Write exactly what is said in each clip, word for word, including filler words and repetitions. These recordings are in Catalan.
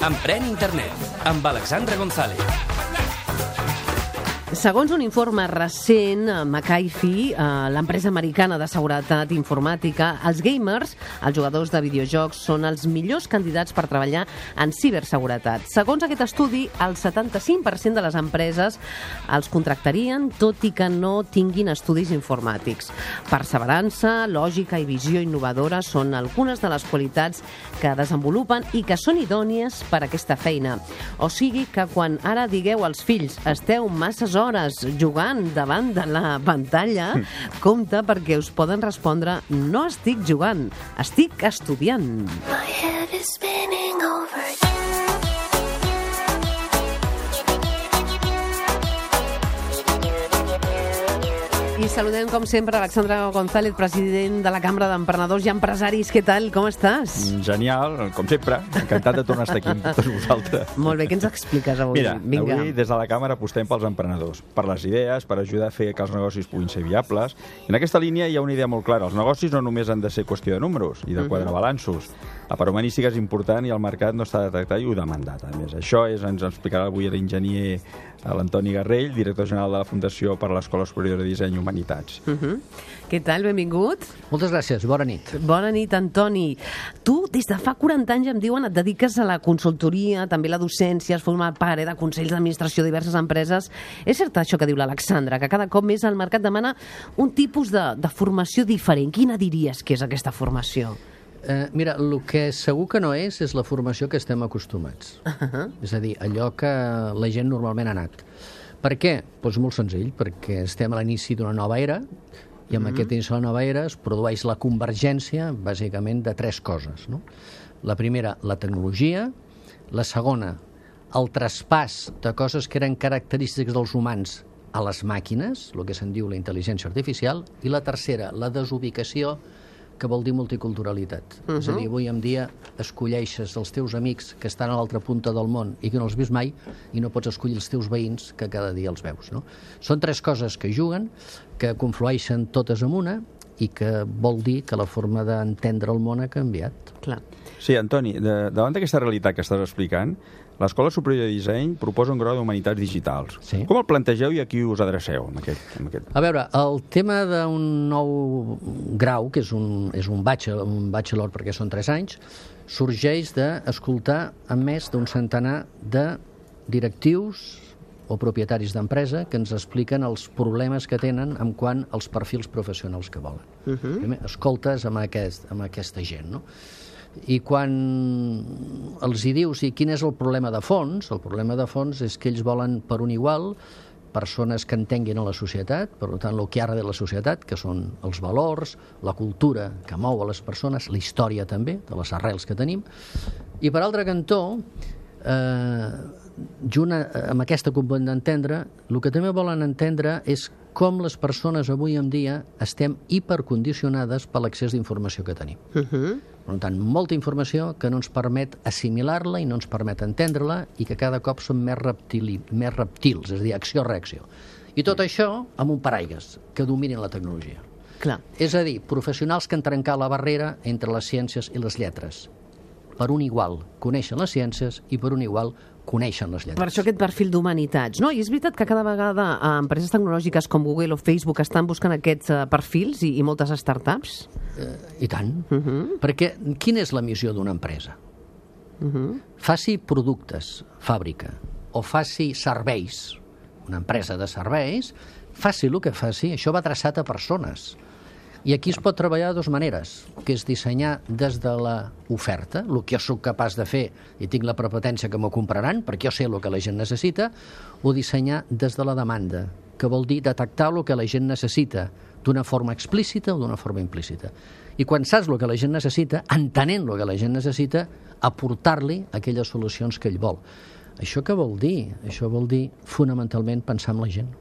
Emprèn Internet, amb Alexandra González. Segons un informe recent, McAfee, l'empresa americana de seguretat informàtica, els gamers, els jugadors de videojocs, són els millors candidats per treballar en ciberseguretat. Segons aquest estudi, el setanta-cinc per cent de les empreses els contractarien, tot i que no tinguin estudis informàtics. Perseverança, lògica i visió innovadora són algunes de les qualitats que desenvolupen i que són idònies per a aquesta feina. O sigui que quan ara digueu als fills esteu masses hores jugant davant de la pantalla, compte perquè us poden respondre no estic jugant, estic estudiant. My head is spinning over. I saludem, com sempre, Alexandra González, president de la Cambra d'Emprenedors i Empresaris. Què tal? Com estàs? Genial, com sempre. Encantat de tornar a estar aquí amb tots vosaltres. Molt bé, què ens expliques avui? Mira, Vinga. avui des de la Càmera apostem pels emprenedors, per les idees, per ajudar a fer que els negocis puguin ser viables. I en aquesta línia hi ha una idea molt clara. Els negocis no només han de ser qüestió de números i de quadrar balanços. La part humanística és important i el mercat no està detectat i ho demandat. A més, això és, ens explicarà avui l'enginyer l'Antoni Garrell, director general de la Fundació per a l'Escola Superior de Disseny i Humanitats. Uh -huh. Què tal? Benvingut. Moltes gràcies. Bona nit. Bona nit, Antoni. Tu, des de fa quaranta anys, em diuen, et dediques a la consultoria, també a la docència, has format part eh, de consells d'administració de diverses empreses. És cert això que diu l'Alexandra, que cada cop més el mercat demana un tipus de, de formació diferent. Quina diries que és aquesta formació? Eh, mira, el que segur que no és, és la formació que estem acostumats. Uh -huh. És a dir, allò que la gent normalment ha anat. Per què? Doncs molt senzill, perquè estem a l'inici d'una nova era i amb uh -huh. aquest inici de la nova era es produeix la convergència, bàsicament, de tres coses. No? La primera, la tecnologia. La segona, el traspàs de coses que eren característiques dels humans a les màquines, el que se'n diu la intel·ligència artificial. I la tercera, la desubicació, que vol dir multiculturalitat. Uh -huh. És a dir, avui en dia escolleixes els teus amics que estan a l'altra punta del món i que no els vist mai i no pots escollir els teus veïns que cada dia els veus. No? Són tres coses que juguen, que conflueixen totes en una i que vol dir que la forma d'entendre el món ha canviat. Clar. Sí, Antoni, de, davant d'aquesta realitat que estàs explicant, l'Escola Superior de Disseny proposa un grau d'Humanitats Digitals. Sí. Com el plantegeu i a qui us adreceu? Amb aquest, amb aquest... A veure, el tema d'un nou grau, que és un, és un, bachelor, un bachelor perquè són tres anys, sorgeix d'escoltar a més d'un centenar de directius o propietaris d'empresa que ens expliquen els problemes que tenen en quant als perfils professionals que volen. Uh -huh. Primer, escoltes amb, aquest, amb aquesta gent, no? I quan els hi dius i quin és el problema de fons, el problema de fons és que ells volen per un igual persones que entenguin a la societat, per tant, el que ha de la societat, que són els valors, la cultura que mou a les persones, la història també, de les arrels que tenim. I per altre cantó, eh, junt amb aquesta component d'entendre, el que també volen entendre és com les persones avui en dia estem hipercondicionades per l'accés d'informació que tenim. Uh -huh. Per tant, molta informació que no ens permet assimilar-la i no ens permet entendre-la i que cada cop som més, reptili, més reptils, és a dir, acció-reacció. I tot això amb un paraigues que dominin la tecnologia. Clar. És a dir, professionals que han trencat la barrera entre les ciències i les lletres. Per un igual coneixen les ciències i per un igual coneixen les lletres. Per això aquest perfil d'humanitats, no? I és veritat que cada vegada eh, empreses tecnològiques com Google o Facebook estan buscant aquests eh, perfils i, i moltes startups? Eh, I tant. Uh -huh. Perquè quina és la missió d'una empresa? Uh -huh. Faci productes, fàbrica, o faci serveis, una empresa de serveis, faci el que faci, això va traçat a persones. I aquí es pot treballar de dues maneres, que és dissenyar des de l'oferta, el que jo sóc capaç de fer i tinc la prepotència que m'ho compraran, perquè jo sé el que la gent necessita, o dissenyar des de la demanda, que vol dir detectar el que la gent necessita d'una forma explícita o d'una forma implícita. I quan saps el que la gent necessita, entenent el que la gent necessita, aportar-li aquelles solucions que ell vol. Això què vol dir? Això vol dir, fonamentalment, pensar en la gent.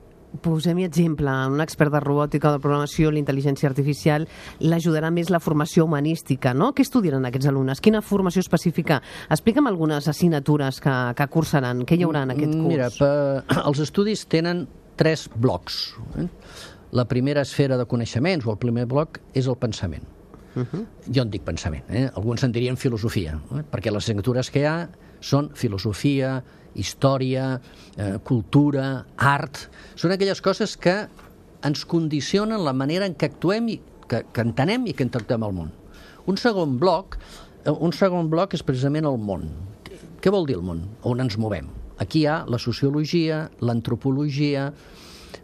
Posem-hi exemple. Un expert de robòtica o de programació, l'intel·ligència artificial, l'ajudarà més la formació humanística, no? Què estudiaran aquests alumnes? Quina formació específica? Explica'm algunes assignatures que, que cursaran. Què hi haurà en aquest curs? Mira, per, els estudis tenen tres blocs. Eh? La primera esfera de coneixements, o el primer bloc, és el pensament. Uh-huh. Jo en dic pensament, eh? Alguns en dirien filosofia, eh? perquè les assignatures que hi ha són filosofia, història, eh, cultura, art... Són aquelles coses que ens condicionen la manera en què actuem, i que, que entenem i que interactuem al món. Un segon bloc, un segon bloc és precisament el món. Què vol dir el món? On ens movem? Aquí hi ha la sociologia, l'antropologia,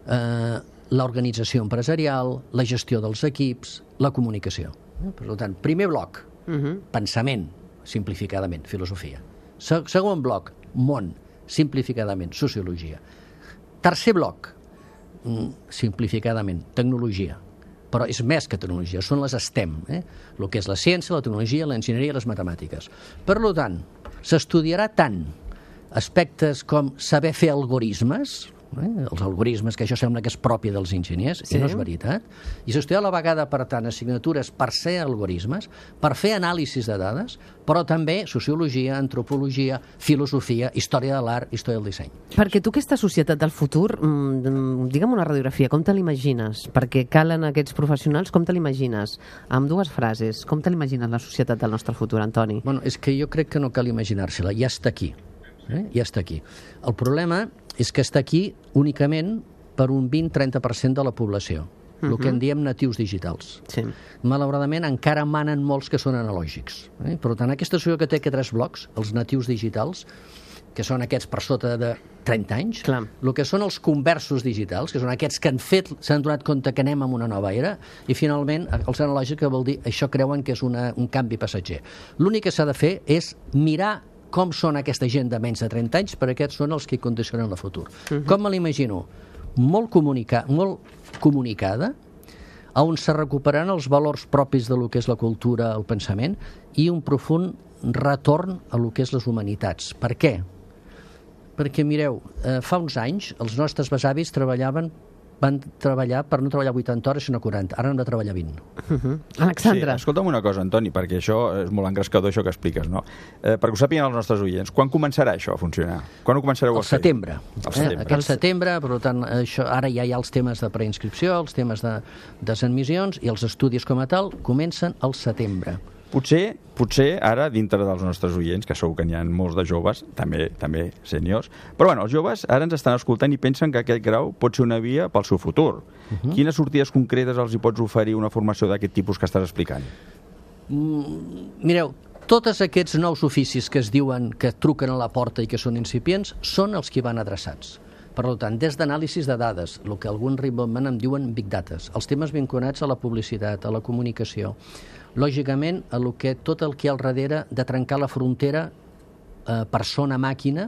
eh, l'organització empresarial, la gestió dels equips, la comunicació. Per tant, primer bloc, uh-huh. pensament, simplificadament, filosofia. Se- segon bloc, món, simplificadament, sociologia. Tercer bloc, simplificadament, tecnologia. Però és més que tecnologia, són les STEM, eh? El que és la ciència, la tecnologia, l'enginyeria i les matemàtiques. Per tant, s'estudiarà tant aspectes com saber fer algorismes, eh? els algorismes, que això sembla que és propi dels enginyers, sí. I no és veritat, i s'estudia a la vegada, per tant, assignatures per ser algorismes, per fer anàlisis de dades, però també sociologia, antropologia, filosofia, història de l'art, història del disseny. Perquè tu aquesta societat del futur, mmm, digue'm una radiografia, com te l'imagines? Perquè calen aquests professionals, com te l'imagines? Amb dues frases, com te l'imagines la societat del nostre futur, Antoni? Bueno, és que jo crec que no cal imaginar-se-la, ja està aquí. Eh? Ja està aquí. El problema és que està aquí únicament per un vint a trenta per cent de la població, uh-huh. el que en diem natius digitals. Sí. Malauradament encara manen molts que són analògics. Eh? Per tant, aquesta societat que té aquests tres blocs, els natius digitals, que són aquests per sota de trenta anys, Clar. el que són els conversos digitals, que són aquests que han fet, s'han donat compte que anem en una nova era, i finalment els analògics, que vol dir, això creuen que és una, un canvi passatger. L'únic que s'ha de fer és mirar com són aquesta gent de menys de trenta anys, perquè aquests són els que condicionen el futur. Uh-huh. Com me l'imagino? Molt, comunica, molt comunicada, on se recuperaran els valors propis de lo que és la cultura, el pensament, i un profund retorn a lo que és les humanitats. Per què? Perquè, mireu, eh, fa uns anys els nostres besavis treballaven van treballar per no treballar vuitanta hores sinó quaranta, ara hem de treballar vint. Uh-huh. Alexandre. Sí, escolta'm una cosa, Antoni, perquè això és molt engrescador, això que expliques, no? Eh, perquè ho sàpiguen els nostres oients, quan començarà això a funcionar? Quan ho començareu a fer? Al setembre. Al setembre. Eh, aquest setembre, per tant, això, ara ja hi ha els temes de preinscripció, els temes de desadmissions, i els estudis com a tal comencen al setembre. Potser, potser ara, dintre dels nostres oients, que segur que n'hi ha molts de joves, també també sèniors, però bueno, els joves ara ens estan escoltant i pensen que aquest grau pot ser una via pel seu futur. Uh-huh. Quines sortides concretes els hi pots oferir una formació d'aquest tipus que estàs explicant? Mm, mireu, tots aquests nous oficis que es diuen que truquen a la porta i que són incipients són els que van adreçats. Per tant, des d'anàlisis de dades, el que alguns ritmament en diuen big data, els temes vinculats a la publicitat, a la comunicació, lògicament, a lo que, tot el que hi ha al darrere de trencar la frontera eh, persona-màquina,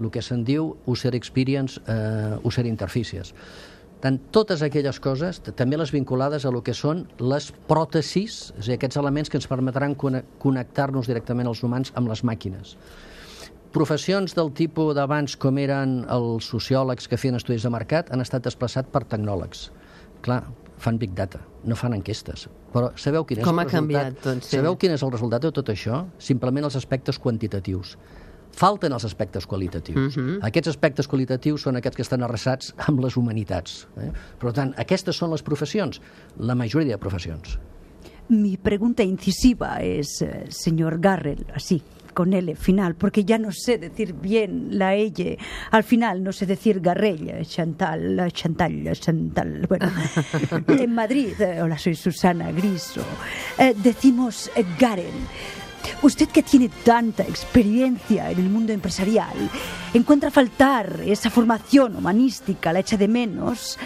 el que se'n diu user experience, eh, user interfícies. Tant, totes aquelles coses, també les vinculades a lo que són les pròtesis, és a dir, aquests elements que ens permetran connectar-nos directament els humans amb les màquines. Professions del tipus d'abans, com eren els sociòlegs que feien estudis de mercat, han estat desplaçats per tecnòlegs. Clar, fan big data, no fan enquestes. Però sabeu quin és Com el ha resultat? canviat, doncs, sí. Sabeu quin és el resultat de tot això? Simplement els aspectes quantitatius. Falten els aspectes qualitatius. Uh-huh. Aquests aspectes qualitatius són aquests que estan arrasats amb les humanitats. Eh? Per tant, aquestes són les professions, la majoria de professions. Mi pregunta incisiva es, eh, señor Garrel, así, con L final, porque ya no sé decir bien la L. Al final no sé decir Garrel, Chantal, Chantal, Chantal. Bueno, en Madrid, eh, hola, soy Susana Griso, eh, decimos eh, Garel. Usted, que tiene tanta experiencia en el mundo empresarial, ¿encuentra faltar esa formación humanística, la echa de menos?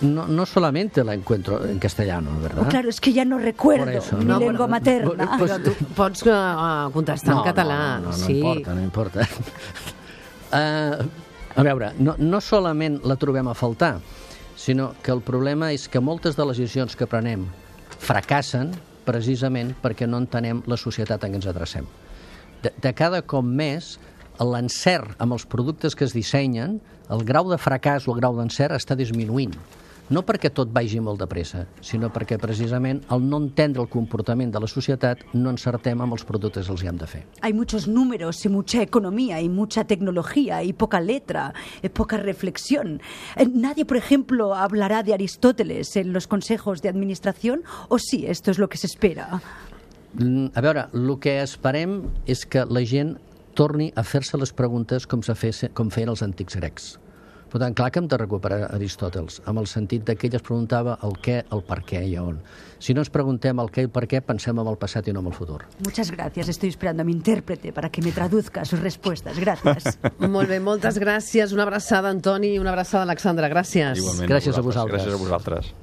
No, no solamente la encuentro en castellano, ¿verdad? Oh, claro, es que ya no recuerdo eso, mi no, lengua pero, materna. pues, Però tu pots uh, contestar no, en català. No, no, no, sí. no importa, no importa. Uh, a veure, no, no solament la trobem a faltar, sinó que el problema és que moltes de les decisions que prenem fracassen precisament perquè no entenem la societat en què ens adrecem. De, de cada cop més, l'encert amb els productes que es dissenyen, el grau de fracàs o el grau d'encert està disminuint. no perquè tot vagi molt de pressa, sinó perquè precisament al no entendre el comportament de la societat no encertem amb els productes que els hem de fer. Hay muchos números y mucha economía y mucha tecnología y poca letra, y poca reflexión. Eh, Nadie, por ejemplo, hablará de Aristóteles en los consejos de administración, o sí, esto es lo que se espera. Mm, A veure, el que esperem és que la gent torni a fer-se les preguntes com, se fes, com feien els antics grecs. Per tant, clar que hem de recuperar Aristòteles, amb el sentit de que ell es preguntava el què, el per què i on. Si no ens preguntem el què i el per què, pensem en el passat i no en el futur. Muchas gracias. Estoy esperando a mi intérprete para que me traduzca sus respuestas. Gracias. Molt bé, moltes gràcies. Una abraçada, Antoni, i una abraçada, Alexandra. Gràcies. Igualment, Gràcies a vosaltres. Gràcies a vosaltres.